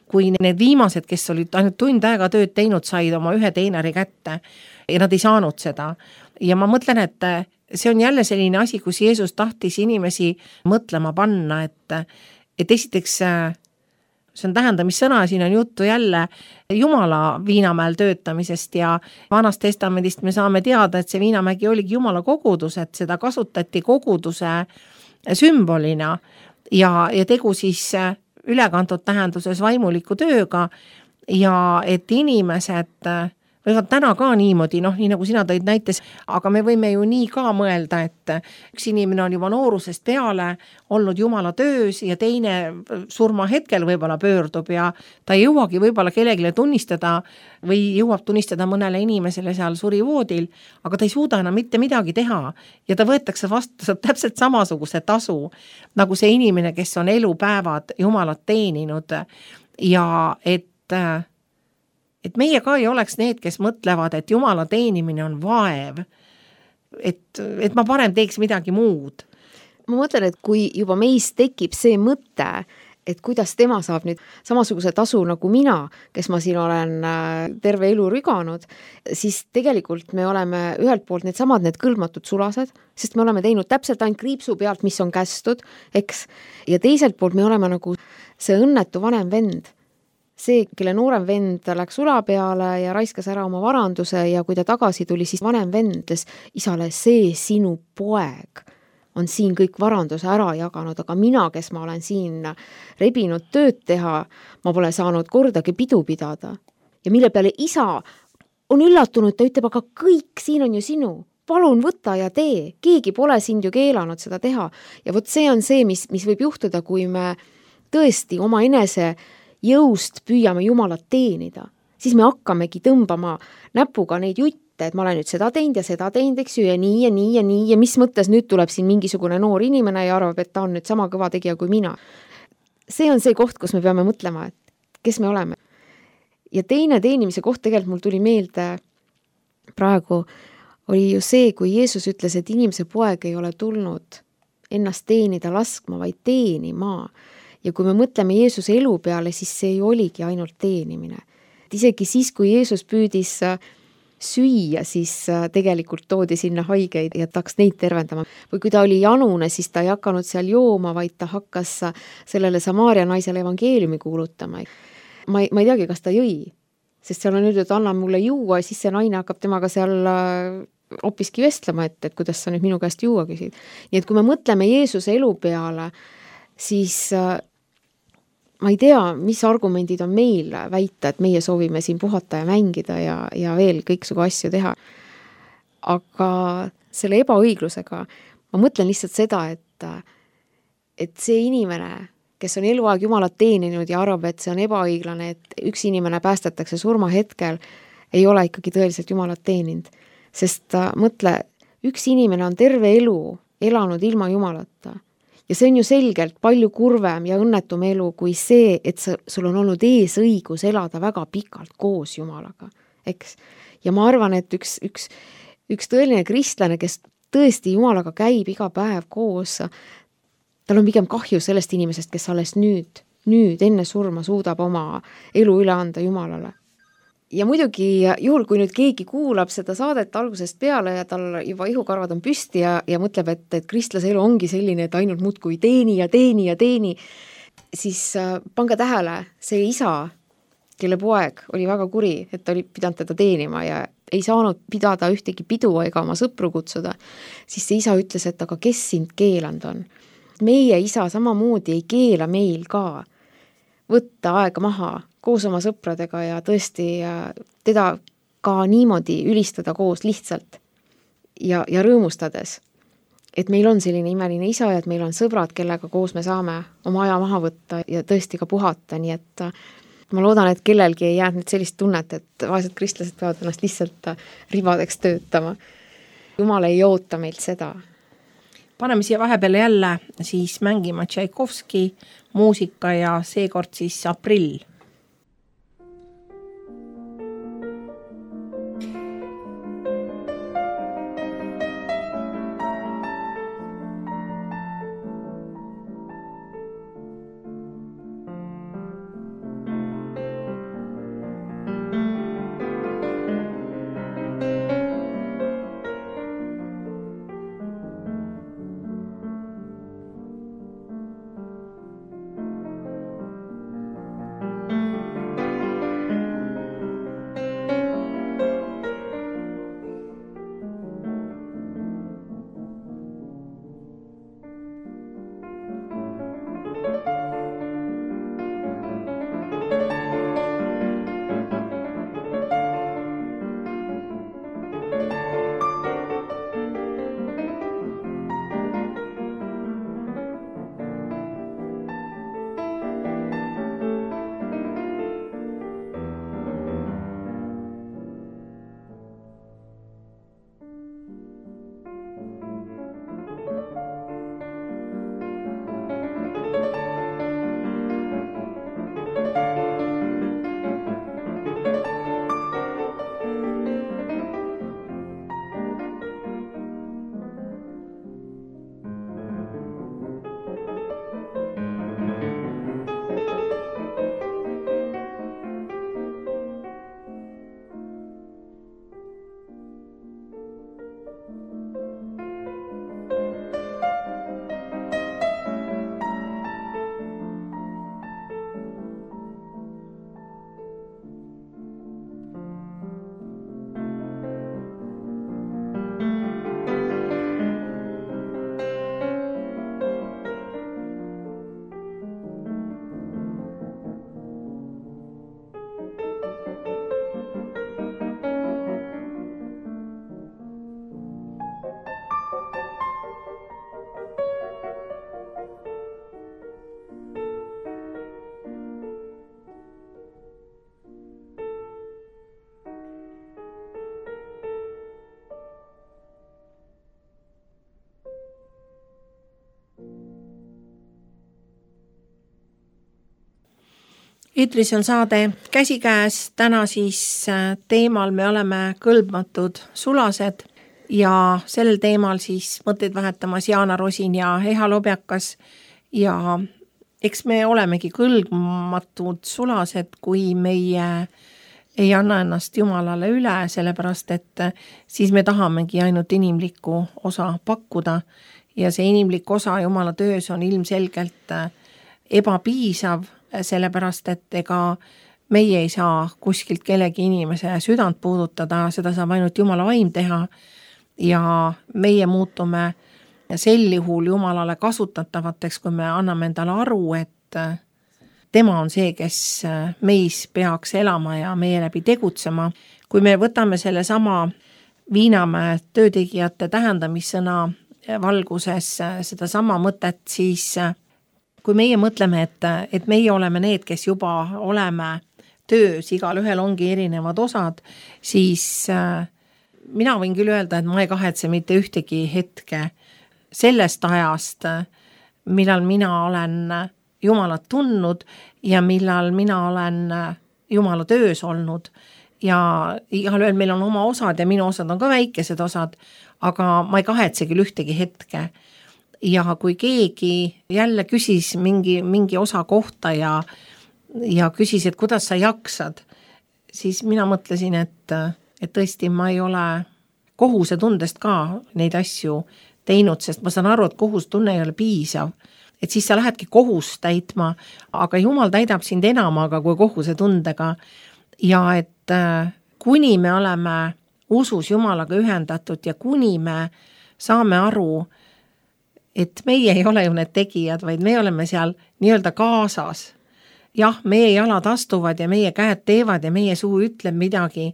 Kui need viimased, kes olid ainult tund aega tööd teinud, said oma 1 teenari kätte ja nad ei saanud seda. Ja ma mõtlen, et see on jälle selline asi, kus Jeesus tahtis inimesi mõtlema panna, et esiteks see on tähendamissõna, siin on juttu jälle Jumala Viinamäel töötamisest ja Vanast testamendist me saame teada, et see Viinamägi oligi Jumala kogudus, et seda kasutati koguduse sümbolina ja tegu siis ülekantud tähenduses vaimuliku tööga ja et inimesed võivad täna ka niimoodi, nii nagu sina tõid näites, aga me võime ju nii ka mõelda, et üks inimene on juba noorusest peale olnud Jumala töös ja teine surma hetkel võib-olla pöördub ja ta ei jõuagi võib-olla kellegile tunnistada või jõuab tunnistada mõnele inimesele seal surivoodil, aga ta ei suuda enam mitte midagi teha ja ta võetakse vastu, saab täpselt samasuguse tasu nagu see inimene, kes on elupäevad Jumalat teeninud ja et meie ka ei oleks need, kes mõtlevad, et Jumala teenimine on vaev, et ma parem teeks midagi muud. Ma mõtlen, et kui juba meis tekib see mõte, et kuidas tema saab nüüd samasuguse tasu nagu mina, kes ma siin olen terve elu rüganud, siis tegelikult me oleme ühelt poolt need kõlbmatud sulased, sest me oleme teinud täpselt ainult kriipsu pealt, mis on kästud, eks, ja teiselt poolt me oleme nagu see õnnetu vanem vend. See, kelle noorem vend läks sula peale ja raiskas ära oma varanduse ja kui ta tagasi tuli, siis vanem vend ütles isale, see sinu poeg on siin kõik varanduse ära jaganud, aga mina, kes ma olen siin rebinud tööd teha, ma pole saanud kordagi pidu pidada. Ja mille peale isa on üllatunud, ta ütleb, aga kõik siin on ju sinu, palun võta ja tee, keegi pole sind ju keelanud seda teha. Ja vot see on see, mis võib juhtuda, kui me tõesti oma enese jõust püüame Jumalat teenida, siis me hakkamegi tõmbama näpuga neid jutte, et ma olen nüüd seda teinud ja seda teinud, eks ju, ja nii ja nii ja nii ja mis mõttes nüüd tuleb siin mingisugune noor inimene ja arvab, et ta on nüüd sama kõva tegija kui mina. See on see koht, kus me peame mõtlema, et kes me oleme. Ja teine teenimise koht tegelikult mul tuli meelde praegu oli ju see, kui Jeesus ütles, et inimese poeg ei ole tulnud ennast teenida laskma, vaid teenima. Ja kui me mõtleme Jeesuse elu peale, siis see ei oligi ainult teenimine. Isegi siis, kui Jeesus püüdis süüa, siis tegelikult toodi sinna haigeid ja taks neid tervendama. Või kui ta oli janune, siis ta ei hakanud seal jooma, vaid ta hakkas sellele Samaaria naisele evangeeliumi kuulutama. Ma ei teagi, kas ta jõi, sest seal on nüüd, et anna mulle juua, siis see naine hakkab temaga seal hoopiski vestlema, et kuidas sa nüüd minu käest juua küsid. Nii et kui me mõtleme Jeesuse elu peale, siis ma ei tea, mis argumendid on meil väita, et meie soovime siin puhata ja mängida ja veel kõiksugu asju teha. Aga selle ebaõiglusega ma mõtlen lihtsalt seda, et see inimene, kes on eluaeg Jumalat teeninud ja arvab, et see on ebaõiglane, et üks inimene päästetakse surma hetkel, ei ole ikkagi tõeliselt Jumalat teeninud. Sest mõtle, üks inimene on terve elu elanud ilma Jumalata. Ja see on ju selgelt palju kurvem ja õnnetum elu kui see, et sul on olnud eesõigus elada väga pikalt koos Jumalaga, eks. Ja ma arvan, et üks tõeline kristlane, kes tõesti Jumalaga käib iga päev koos, tal on pigem kahju sellest inimesest, kes alles nüüd enne surma suudab oma elu üle anda Jumalale. Ja muidugi juhul, kui nüüd keegi kuulab seda saadet algusest peale ja tal juba ihukarvad on püsti ja mõtleb, et kristlase elu ongi selline, et ainult muudkui teeni, siis pange tähele, see isa, kelle poeg oli väga kuri, et oli pidanud teda teenima ja ei saanud pidada ühtegi pidu ega oma sõpru kutsuda, siis see isa ütles, et aga kes sind keelanud on? Meie isa samamoodi ei keela meil ka. võtta aega maha koos oma sõpradega ja tõesti teda ka niimoodi ülistada koos lihtsalt ja rõõmustades, et meil on selline imeline isa ja et meil on sõbrad, kellega koos me saame oma aja maha võtta ja tõesti ka puhata, nii et ma loodan, et kellelgi ei jäänud nüüd sellist tunnet, et vaesed kristlased peavad ennast lihtsalt ribadeks töötama. Jumal ei oota meilt seda. Paneme siia vahepeale jälle siis mängima Tšaikovski muusika ja seekord siis Aprill. Eetris on saade Käsikäes, täna siis teemal me oleme kõlbmatud sulased ja sellel teemal siis mõtteid vahetamas Jaana Rosin ja Eha Lobjakas ja eks me olemegi kõlbmatud sulased, kui meie ei anna ennast Jumalale üle, sellepärast et siis me tahamegi ainult inimlikku osa pakkuda ja see inimlik osa Jumala töös on ilmselgelt ebapiisav, sellepärast, et ega meie ei saa kuskilt kellegi inimese südant puudutada, seda saab ainult Jumala vaim teha ja meie muutume sel juhul Jumalale kasutatavateks, kui me anname endale aru, et tema on see, kes meis peaks elama ja meie läbi tegutsema. Kui me võtame selle sama Viinamäe töötegijate tähendamissõna valguses seda sama mõtet, siis kui meie mõtleme, et meie oleme need, kes juba oleme töös, igal ühel ongi erinevad osad, siis mina võin küll öelda, et ma ei kahetse mitte ühtegi hetke sellest ajast, millal mina olen Jumalat tundnud ja millal mina olen Jumala töös olnud. Ja igal ühel meil on oma osad ja minu osad on ka väikesed osad, aga ma ei kahetse küll ühtegi hetke. Ja kui keegi jälle küsis mingi osa kohta ja küsis, et kuidas sa jaksad, siis mina mõtlesin, et tõesti ma ei ole kohusetundest ka neid asju teinud, sest ma saan aru, et kohusetunne ei ole piisav. Et siis sa lähedki kohust täitma, aga Jumal täidab sind enamaga kui kohusetundega. Ja et kuni me oleme usus Jumalaga ühendatud ja kuni me saame aru, et meie ei ole ju need tegijad, vaid me oleme seal nii-öelda kaasas jah, meie jalad astuvad ja meie käed teevad ja meie suu ütleb midagi,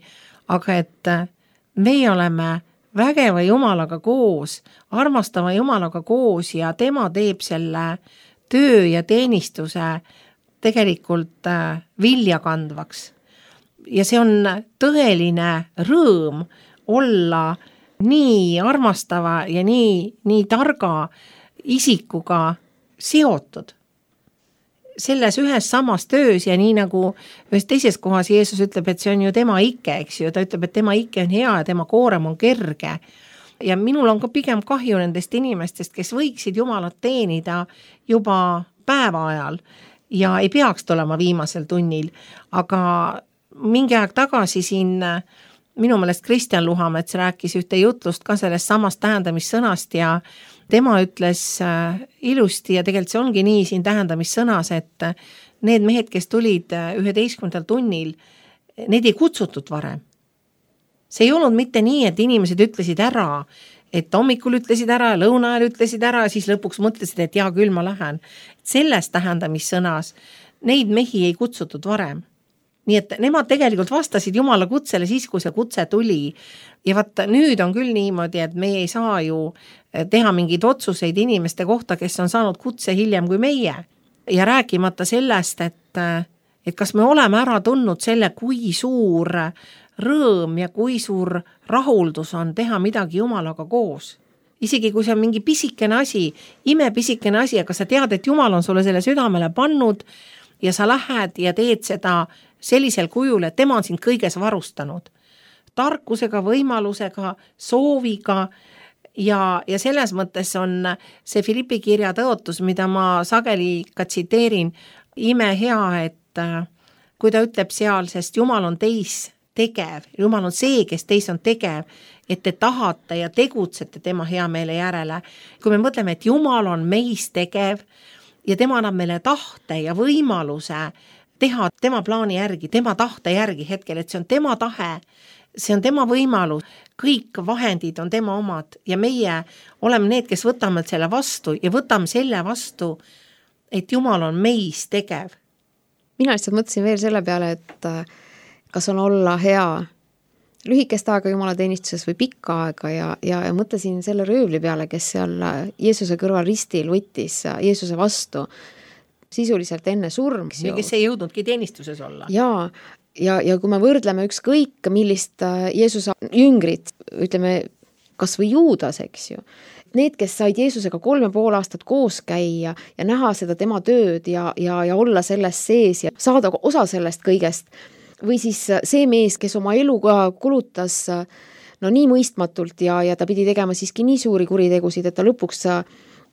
aga et meie oleme vägeva Jumalaga koos, armastava Jumalaga koos ja tema teeb selle töö ja teenistuse tegelikult vilja kandvaks. Ja see on tõeline rõõm olla nii armastava ja nii targa isikuga seotud selles ühes samas töös ja nii nagu ühes teises kohas Jeesus ütleb, et see on ju tema ikke, eks ju, ta ütleb, et tema ikke on hea ja tema koorem on kerge. Ja minul on ka pigem kahju nendest inimestest, kes võiksid Jumalat teenida juba päeva ajal ja ei peaks tulema viimasel tunnil, aga mingi aeg tagasi siin minu meelest Kristjan Luhamets rääkis ühte jutlust ka sellest samast tähendamissõnast ja tema ütles ilusti ja tegelikult see ongi nii siin tähendamissõnas, et need mehed, kes tulid 11. tunnil, need ei kutsutud varem. See ei olnud mitte nii, et inimesed ütlesid ära, et hommikul ütlesid ära ja lõuna ajal ütlesid ära ja siis lõpuks mõtlesid, et jaa, küll ma lähen. Selles tähendamissõnas neid mehi ei kutsutud varem. Nii et nemad tegelikult vastasid Jumala kutsele siis, kui see kutse tuli. Ja vaata, nüüd on küll niimoodi, et me ei saa ju teha mingeid otsuseid inimeste kohta, kes on saanud kutse hiljem kui meie. Ja rääkimata sellest, et kas me oleme ära tundnud selle, kui suur rõõm ja kui suur rahuldus on teha midagi Jumalaga koos. Isegi kui see on mingi pisikene asi, imepisikene asi, aga sa tead, et Jumal on sulle selle südamele pannud ja sa lähed ja teed seda sellisel kujul, et tema on sind kõiges varustanud. Tarkusega, võimalusega, sooviga ja selles mõttes on see Filippi kirja tõotus, mida ma sageli ka tsiteerin, ime hea, et kui ta ütleb seal, sest Jumal on teis tegev, Jumal on see, kes teis on tegev, et te tahate ja tegutsete tema hea meele järele. Kui me mõtleme, et Jumal on meis tegev ja tema annab meile tahte ja võimaluse teha tema plaani järgi, tema tahte järgi hetkel, et see on tema tahe, see on tema võimalus, kõik vahendid on tema omad ja meie oleme need, kes võtame selle vastu ja võtame selle vastu, et Jumal on meis tegev. Mina lihtsalt mõtlesin veel selle peale, et kas on olla hea lühikest aega Jumala teenistuses või pikka aega ja mõtlesin selle röövli peale, kes seal Jeesuse kõrval ristil võttis Jeesuse vastu sisuliselt enne surm. Kes ei jõudnudki teenistuses olla. Ja kui me võrdleme ükskõik millist Jeesuse jüngrit, ütleme kas või Juudas, eks ju, need, kes said Jeesusega 3,5 aastat koos käia ja näha seda tema tööd ja olla selles sees ja saada osa sellest kõigest, või siis see mees, kes oma eluga kulutas nii mõistmatult ja ta pidi tegema siiski nii suuri kuritegusid, et ta lõpuks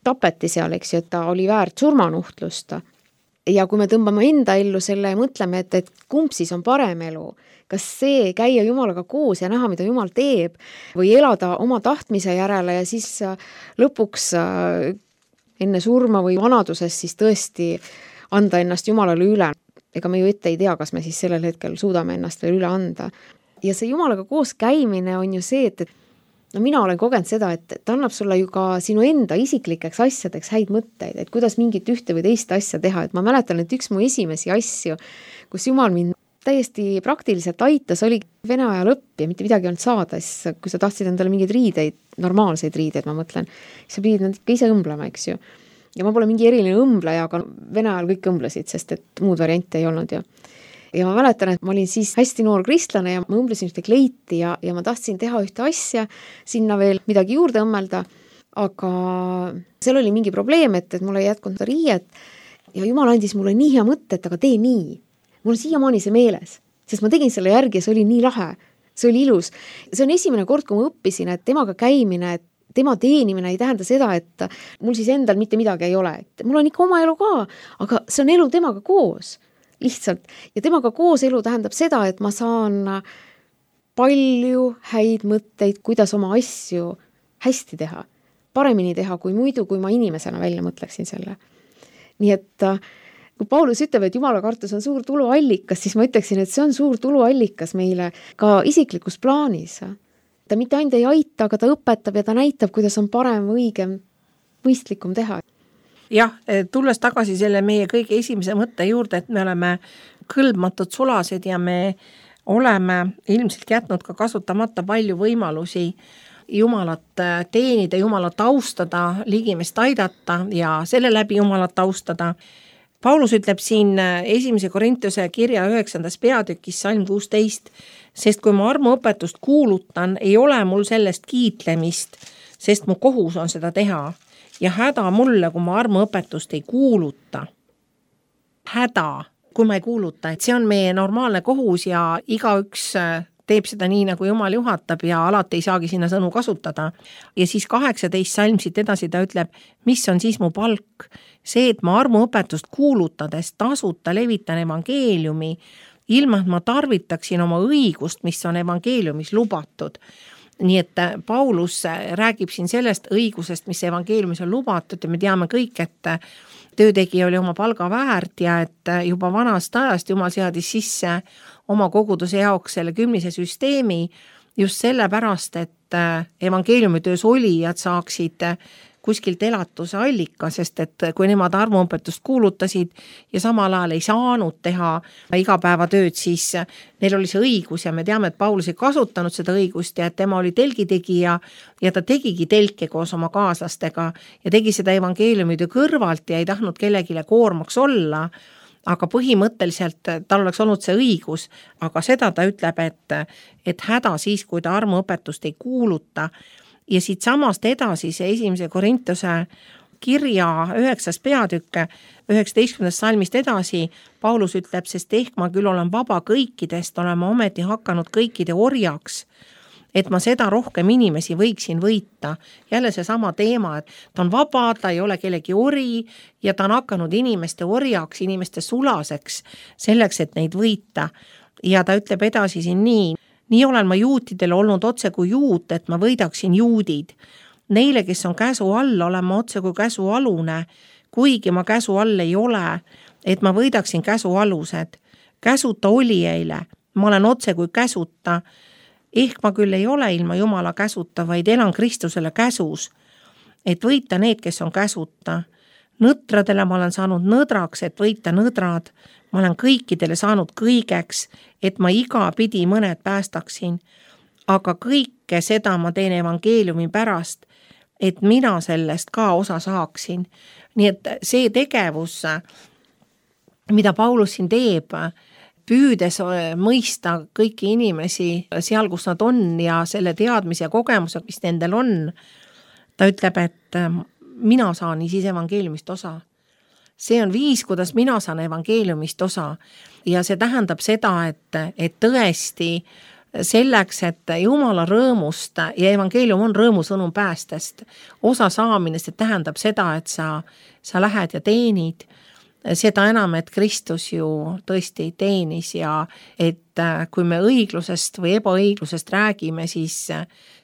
tapeti seal, eks ju, et ta oli väärt surmanuhtlust. Ja kui me tõmbame enda ellu selle ja mõtleme, et kumb siis on parem elu, kas see käia Jumalaga koos ja näha, mida Jumal teeb või elada oma tahtmise järele ja siis lõpuks enne surma või vanaduses siis tõesti anda ennast Jumalale üle. Ega me ju ette ei tea, kas me siis sellel hetkel suudame ennast veel üle anda. Ja see Jumalaga koos käimine on ju see, et mina olen kogenud seda, et ta annab sulle ju ka sinu enda isiklikeks asjadeks häid mõtteid, et kuidas mingit ühte või teist asja teha, et ma mäletan, et üks mu esimesi asju, kus Jumal mind täiesti praktiliselt aitas, oli Vene aja lõpp ja mitte midagi olnud saada, siis kui sa tahtsid endale mingeid riideid, normaalseid riideid, ma mõtlen, siis sa pidid nad ikka ise õmblema, eks ju. Ja ma pole mingi eriline õmbleja, aga Vene ajal kõik õmblesid, sest et muud variante ei olnud ju. Ja ma mäletan, et ma olin siis hästi noor kristlane ja ma õmblesin ühte kleiti ja ma tahtsin teha ühte asja, sinna veel midagi juurde õmmelda, aga seal oli mingi probleem, et mul ei jätkunud riiet ja Jumal andis mulle nii hea mõtte, et aga tee nii. Mul on siiamaani see meeles, sest ma tegin selle järgi ja see oli nii lahe, see oli ilus. See on esimene kord, kui ma õppisin, et temaga käimine, et tema teenimine ei tähenda seda, et mul siis endal mitte midagi ei ole. Et mul on ikka oma elu ka, aga see on elu temaga koos. Lihtsalt. Ja temaga koos elu tähendab seda, et ma saan palju häid mõtteid, kuidas oma asju hästi teha. Paremini teha kui muidu, kui ma inimesena välja mõtleksin selle. Nii et kui Paulus ütleb, et Jumala kartus on suur tuluallikas, siis ma ütleksin, et see on suur tuluallikas meile ka isiklikus plaanis. Ta mitte ainult ei aita, aga ta õpetab ja ta näitab, kuidas on parem, õigem, mõistlikum teha. jah, tulles tagasi selle meie kõige esimese mõtte juurde, et me oleme kõlbmatud sulased ja me oleme ilmselt jätnud ka kasutamata palju võimalusi Jumalat teenida, Jumalat austada, ligimest aidata ja selle läbi Jumalat austada. Paulus ütleb siin 1. Korintuse kirja 9. peatükis salm 16, sest kui ma armuõpetust kuulutan, ei ole mul sellest kiitlemist, sest mu kohus on seda teha ja häda mulle, kui ma armuõpetust ei kuuluta. Häda, kui ma ei kuuluta, et see on meie normaalne kohus ja igaüks teeb seda nii, nagu Jumal juhatab ja alati ei saagi sinna sõnu kasutada. Ja siis 18 salm siit edasi ta ütleb, mis on siis mu palk? See, et ma armuõpetust kuulutades tasuta levitan evangeeliumi, ilma et ma tarvitaksin oma õigust, mis on evangeeliumis lubatud. Nii et Paulus räägib siin sellest õigusest, mis evangeeliumis on lubatud ja me teame kõik, et töötegija oli oma palga väärt ja et juba vanast ajast Jumal seadis sisse oma koguduse jaoks selle 10. süsteemi just sellepärast, et evangeeliumitöös olijad saaksid kuskilt elatuse allika, sest et kui nemad armuõpetust kuulutasid ja samal ajal ei saanud teha igapäevatööd, siis neil oli see õigus ja me teame, et Paulus ei kasutanud seda õigust ja et tema oli telgitegija ja ta tegigi telke koos oma kaaslastega ja tegi seda evangeeliumitöö kõrvalt ja ei tahtnud kellegile koormaks olla, aga põhimõtteliselt tal oleks olnud see õigus, aga seda ta ütleb, et häda siis, kui ta armuõpetust ei kuuluta. Ja siit samast edasi see 1. Korintuse kirja 9. peatükke 19. salmist edasi Paulus ütleb, sest ehk ma küll olen vaba kõikidest, olen ma ometi hakanud kõikide orjaks, et ma seda rohkem inimesi võiksin võita. Jälle see sama teema, et ta on vaba, ta ei ole kellegi ori ja ta on hakanud inimeste orjaks, inimeste sulaseks selleks, et neid võita. Ja ta ütleb edasi siin nii olen ma juutidele olnud otse kui juut, et ma võidaksin juudid. Neile, kes on käsu all, olen ma otse kui käsu alune, kuigi ma käsu all ei ole, et ma võidaksin käsu alused. Käsuta olijaile, ma olen otse kui käsuta. Ehk ma küll ei ole ilma Jumala käsuta, vaid elan Kristusele käsus, et võita need, kes on käsuta. Nõtradele ma olen saanud nõdraks, et võita nõdrad. Ma olen kõikidele saanud kõigeks, et ma iga pidi mõned päästaksin. Aga kõike seda ma teen evangeeliumi pärast, et mina sellest ka osa saaksin. Nii et see tegevus, mida Paulus siin teeb, püüdes mõista kõiki inimesi seal, kus nad on ja selle teadmise ja kogemuse, mis nendel on, ta ütleb, et mina saan siis evangeeliumist osa. See on viis, kuidas mina saan evangeeliumist osa ja see tähendab seda, et tõesti selleks, et Jumala rõõmust ja evangeelium on rõõmusõnum päästest, osa saamine, see tähendab seda, et sa lähed ja teenid, seda enam, et Kristus ju tõesti teenis ja et kui me õiglusest või ebaõiglusest räägime, siis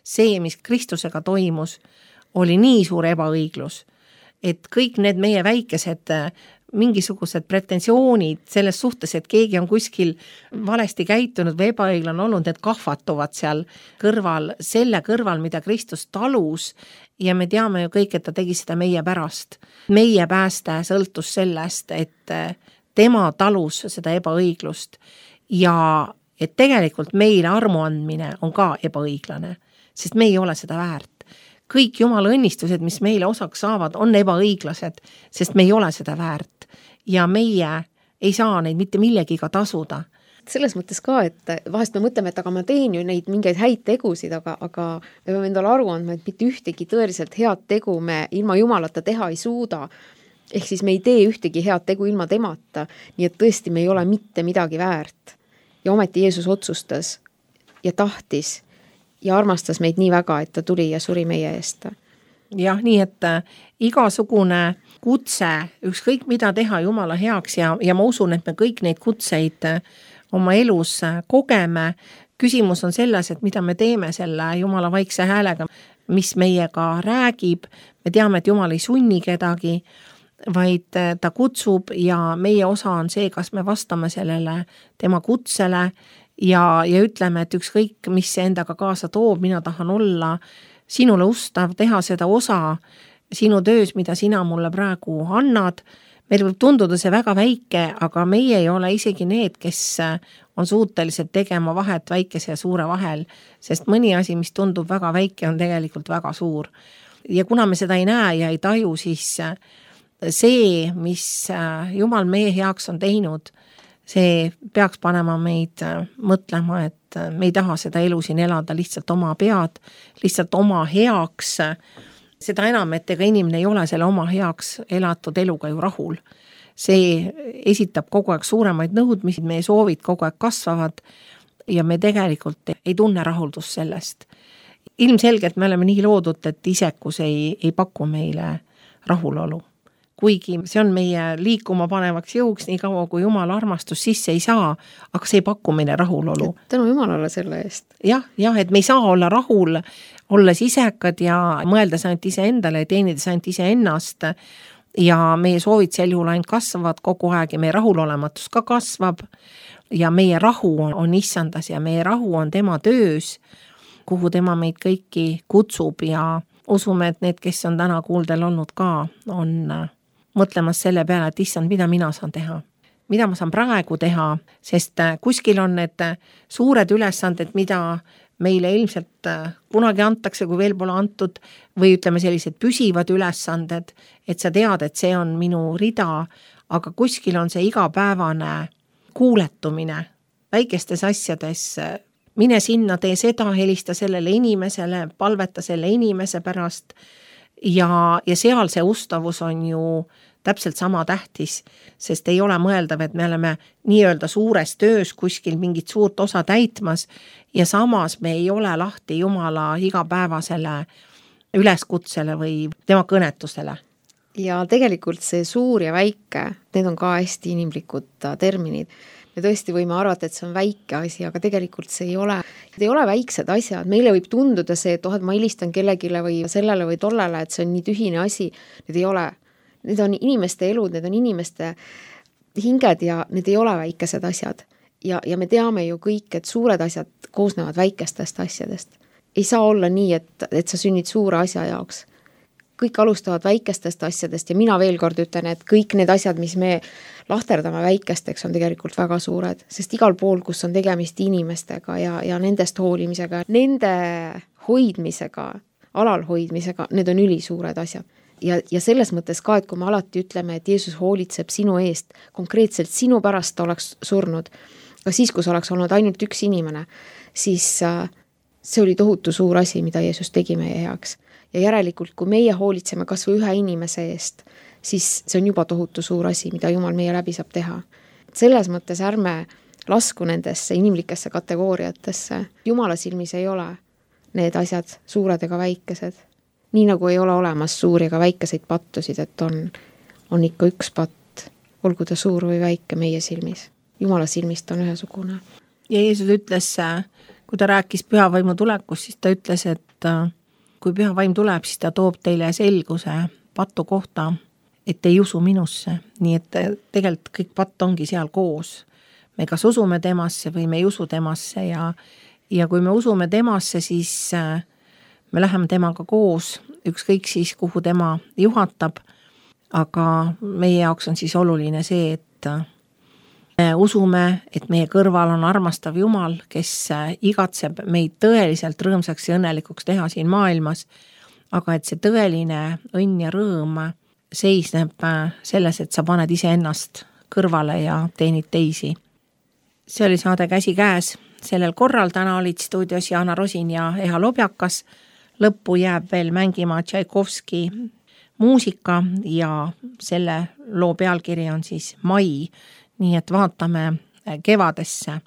see, mis Kristusega toimus, oli nii suur ebaõiglus, et kõik need meie väikesed mingisugused pretensioonid selles suhtes, et keegi on kuskil valesti käitunud või ebaõiglane olnud, need kahvatuvad seal kõrval, selle kõrval, mida Kristus talus ja me teame ju kõik, et ta tegi seda meie pärast. Meie pääste sõltus sellest, et tema talus seda ebaõiglust ja et tegelikult meile armu andmine on ka ebaõiglane, sest me ei ole seda väärt. Kõik Jumala õnnistused, mis meile osaks saavad, on ebaõiglased, sest me ei ole seda väärt ja meie ei saa neid mitte millegiga tasuda. Selles mõttes ka, et vahest me mõtleme, et aga ma teen ju neid mingeid häid tegusid, aga me peame endale aru andma, et mitte ühtegi tõeliselt head tegu me ilma Jumalata teha ei suuda. Ehk siis me ei tee ühtegi head tegu ilma temata, nii et tõesti me ei ole mitte midagi väärt. Ja ometi Jeesus otsustas ja tahtis ja armastas meid nii väga, et ta tuli ja suri meie eest. Jah, nii et igasugune kutse, ükskõik mida teha Jumala heaks ja ma usun, et me kõik neid kutseid oma elus kogeme. Küsimus on selles, et mida me teeme selle Jumala vaikse häälega, mis meiega räägib. Me teame, et Jumal ei sunni kedagi, vaid ta kutsub ja meie osa on see, kas me vastame sellele tema kutsele ja ütleme, et ükskõik, mis see endaga kaasa toob, mina tahan olla sinule ustav, teha seda osa sinu töös, mida sina mulle praegu annad. Meil võib tunduda see väga väike, aga meie ei ole isegi need, kes on suutelised tegema vahet väikese ja suure vahel, sest mõni asi, mis tundub väga väike, on tegelikult väga suur. Ja kuna me seda ei näe ja ei taju, siis see, mis Jumal meie heaks on teinud, see peaks panema meid mõtlema, et me ei taha seda elu siin elada lihtsalt oma pead, lihtsalt oma heaks. Seda enam, et ega inimene ei ole selle oma heaks elatud eluga ju rahul. See esitab kogu aeg suuremaid nõudmisi, meie soovid kogu aeg kasvavad ja me tegelikult ei tunne rahuldust sellest. Ilmselgelt me oleme nii loodud, et isekus ei paku meile rahulolu. Kuigi see on meie liikuma panevaks jõuks nii kaua, kui Jumala armastus sisse ei saa, aga see ei paku meile rahulolu. Tänu Jumalale selle eest. Jah, et me ei saa olla rahul, olles isekad ja mõeldes ainult iseendale ja teenides ainult iseennast ja meie soovid sel juhul ainult kasvavad kogu aeg ja meie rahulolematus ka kasvab ja meie rahu on issandas ja meie rahu on tema töös, kuhu tema meid kõiki kutsub ja usume, et need, kes on täna kuuldel olnud ka, on mõtlemas selle peale, et issand, mida mina saan teha. Mida ma saan praegu teha, sest kuskil on need suured ülesanded, mida meile ilmselt kunagi antakse, kui veel pole antud, või ütleme sellised püsivad ülesanded, et sa tead, et see on minu rida, aga kuskil on see igapäevane kuuletumine väikestes asjades. Mine sinna, tee seda, helista sellele inimesele, palveta selle inimese pärast ja seal see ustavus on ju täpselt sama tähtis, sest ei ole mõeldav, et me oleme nii-öelda suures töös kuskil mingit suurt osa täitmas ja samas me ei ole lahti Jumala igapäevasele üleskutsele või tema kõnetusele. Ja tegelikult see suur ja väike, need on ka hästi inimlikud terminid. Me tõesti võime arvata, et see on väike asi, aga tegelikult see ei ole väiksed asjad. Meile võib tunduda see, et ma helistan kellegile või sellele või tollele, et see on nii tühine asi. Need ei ole. Need on inimeste elud, need on inimeste hinged ja need ei ole väikesed asjad. Ja me teame ju kõik, et suured asjad koosnevad väikestest asjadest. Ei saa olla nii, et sa sünnid suure asja jaoks. Kõik alustavad väikestest asjadest ja mina veel kord ütlen, et kõik need asjad, mis me lahterdame väikesteks, on tegelikult väga suured, sest igal pool, kus on tegemist inimestega ja nendest hoolimisega, nende hoidmisega, alalhoidmisega, need on ülisuured asjad. Ja selles mõttes ka, et kui me alati ütleme, et Jeesus hoolitseb sinu eest, konkreetselt sinu pärast ta oleks surnud, aga siis, kus oleks olnud ainult üks inimene, siis see oli tohutu suur asi, mida Jeesus tegi meie heaks. Ja järelikult, kui meie hoolitseme kas või ühe inimese eest, siis see on juba tohutu suur asi, mida Jumal meie läbi saab teha. Selles mõttes ärme lasku nendesse inimlikesse kategooriatesse. Jumala silmis ei ole need asjad suured ega väikesed. Nii nagu ei ole olemas suuri ega väikeseid pattusid, et on ikka üks patt, olgu ta suur või väike meie silmis. Jumala silmist on ühesugune. Ja Jeesus ütles, kui ta rääkis pühavaimu tulekust, siis ta ütles, et kui pühavaim tuleb, siis ta toob teile selguse patu kohta, et ei usu minusse. Nii et tegelikult kõik patt ongi seal koos. Me kas usume temasse või me ei usu temasse ja kui me usume temasse, siis me läheme temaga koos, ükskõik siis, kuhu tema juhatab, aga meie jaoks on siis oluline see, et me usume, et meie kõrval on armastav Jumal, kes igatseb meid tõeliselt rõõmsaks ja õnnelikuks teha siin maailmas, aga et see tõeline õnn ja rõõm seisneb selles, et sa paned iseennast kõrvale ja teenid teisi. See oli saade Käsi käes. Sellel korral täna olid stuudios Jaana Rosin ja Eha Lobjakas. Lõppu jääb veel mängima Tšaikovski muusika ja selle loo pealkiri on siis Mai, nii et vaatame kevadesse.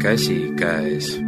käsikäes.